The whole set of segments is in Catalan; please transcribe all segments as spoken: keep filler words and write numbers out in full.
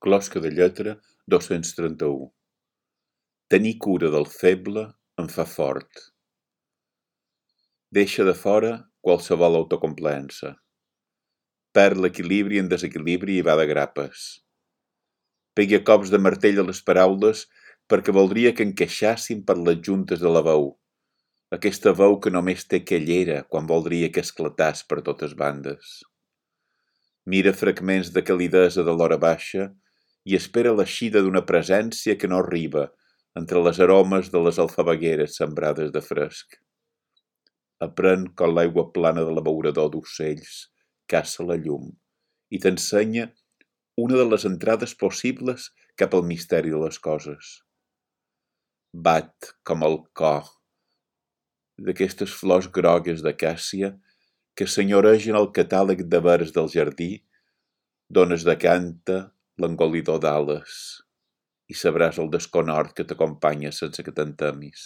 Closca de lletra dos-cents trenta-u. Tenir cura del feble em fa fort. Deixa de fora qualsevol autocomplaença. Perd l'equilibri en desequilibri i va de grapes. Pegui a cops de martell a les paraules perquè voldria que encaixassin per les juntes de la veu. Aquesta veu que només té quellera quan voldria que esclatàs per totes bandes. Mira fragments de calidesa de l'hora baixa i espera l'eixida d'una presència que no arriba entre les aromes de les alfabegueres sembrades de fresc. Aprèn com l'aigua plana de l'abeurador d'ocells caça la llum i t'ensenya una de les entrades possibles cap al misteri de les coses. Bat com el cor d'aquestes flors grogues d'acàcia que senyoregen el catàleg de vers del jardí d'on es decanta l'engolidor d'ales i sabràs el desconhort que t'acompanya sense que te'n temis.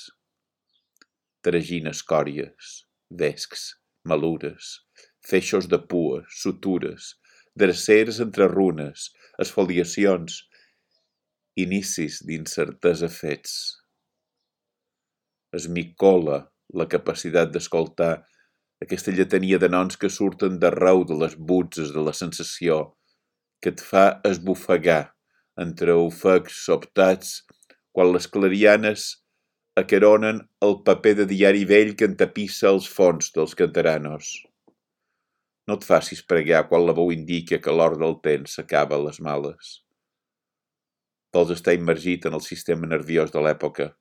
Tragina escòries, vescs, malures, feixos de pues, sutures, dreceres entre runes, esfoliacions, inicis d'incertesa fets. Esmicola la capacitat d'escoltar aquesta lletania de noms que surten d'arreu de les butzes de la sensació que et fa esbufegar entre ofecs sobtats quan les clarianes acaronen el paper de diari vell que entapissa els fons dels canteranos. No et facis pregar quan la veu indica que l'or del temps s'acaba a les males. Vols estar immergit en el sistema nerviós de l'època.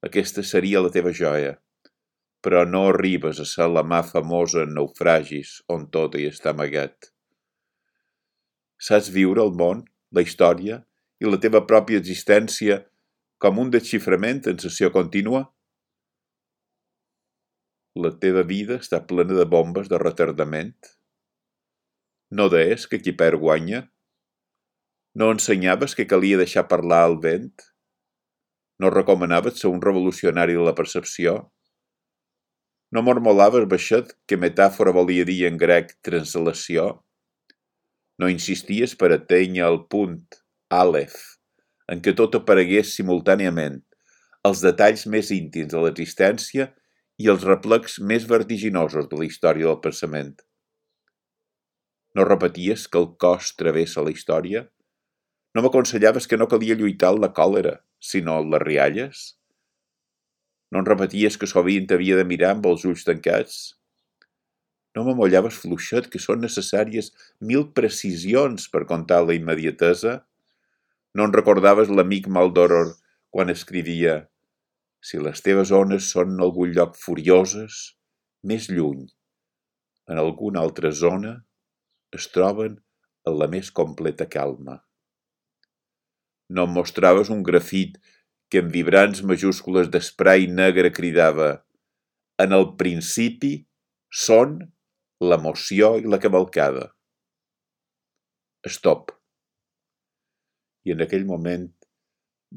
Aquesta seria la teva joia, però no arribes a ser la mà famosa en naufragis on tot hi està amagat. Saps viure el món, la història i la teva pròpia existència com un desxiframent en sessió contínua? La teva vida està plena de bombes de retardament? No deies que qui perd guanya? No ensenyaves que calia deixar parlar el vent? No recomanaves ser un revolucionari de la percepció? No mormolaves baixet que metàfora volia dir en grec translació? No insisties per atènyer el punt, àlef, en què tot aparegués simultàniament, els detalls més íntims de l'existència i els replecs més vertiginosos de la història del pensament. No repeties que el cos travessa la història? No m'aconsellaves que no calia lluitar la còlera, sinó les rialles? No em repeties que sovint t'havia de mirar amb els ulls tancats? No m'amollaves fluixet que són necessàries mil precisions per contar la immediatesa? No en recordaves l'amic Maldoror quan escrivia «Si les teves ones són en algun lloc furioses, més lluny, en alguna altra zona, es troben en la més completa calma». No em mostraves un grafit que en vibrants majúscules d'esprai negre cridava «En el principi són l'emoció i la cavalcada». Stop. I en aquell moment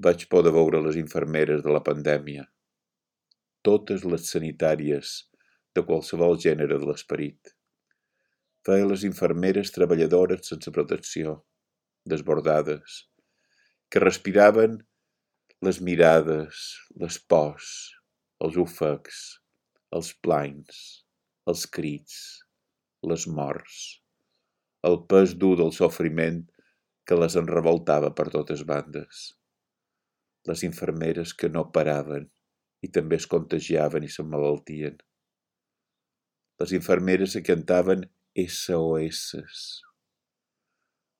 vaig poder veure les infermeres de la pandèmia, totes les sanitàries de qualsevol gènere de l'esperit. Feia les infermeres treballadores sense protecció, desbordades, que respiraven les mirades, les pors, els ofecs, els planys, els crits, les morts, el pes dur del sofriment que les enrevoltava per totes bandes. Les infermeres que no paraven i també es contagiaven i s'emmalaltien. Les infermeres que cantaven S O S.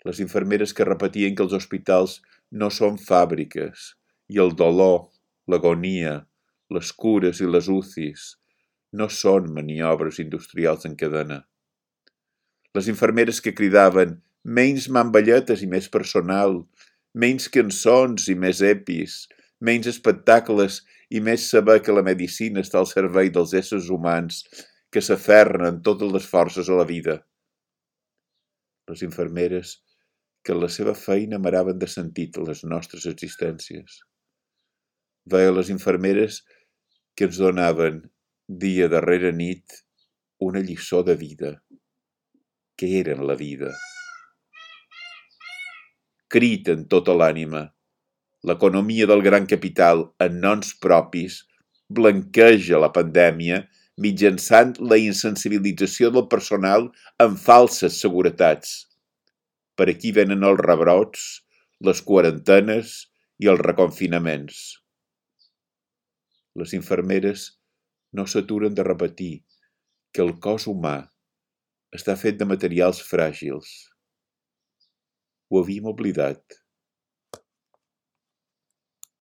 Les infermeres que repetien que els hospitals no són fàbriques i el dolor, l'agonia, les cures i les U C Is no són maniobres industrials en cadena. Les infermeres que cridaven menys mamballetes i més personal, menys cançons i més epis, menys espectacles i més saber que la medicina està al servei dels éssers humans que s'aferren amb totes les forces a la vida. Les infermeres que en la seva feina maraven de sentit a les nostres existències. Veia les infermeres que ens donaven, dia darrere nit, una lliçó de vida. Què eren la vida? crida en tota l'ànima. L'economia del gran capital en noms propis blanqueja la pandèmia mitjançant la insensibilització del personal amb falses seguretats. Per aquí venen els rebrots, les quarantenes i els reconfinaments. Les infermeres no s'aturen de repetir que el cos humà està fet de materials fràgils. Ho havíem oblidat.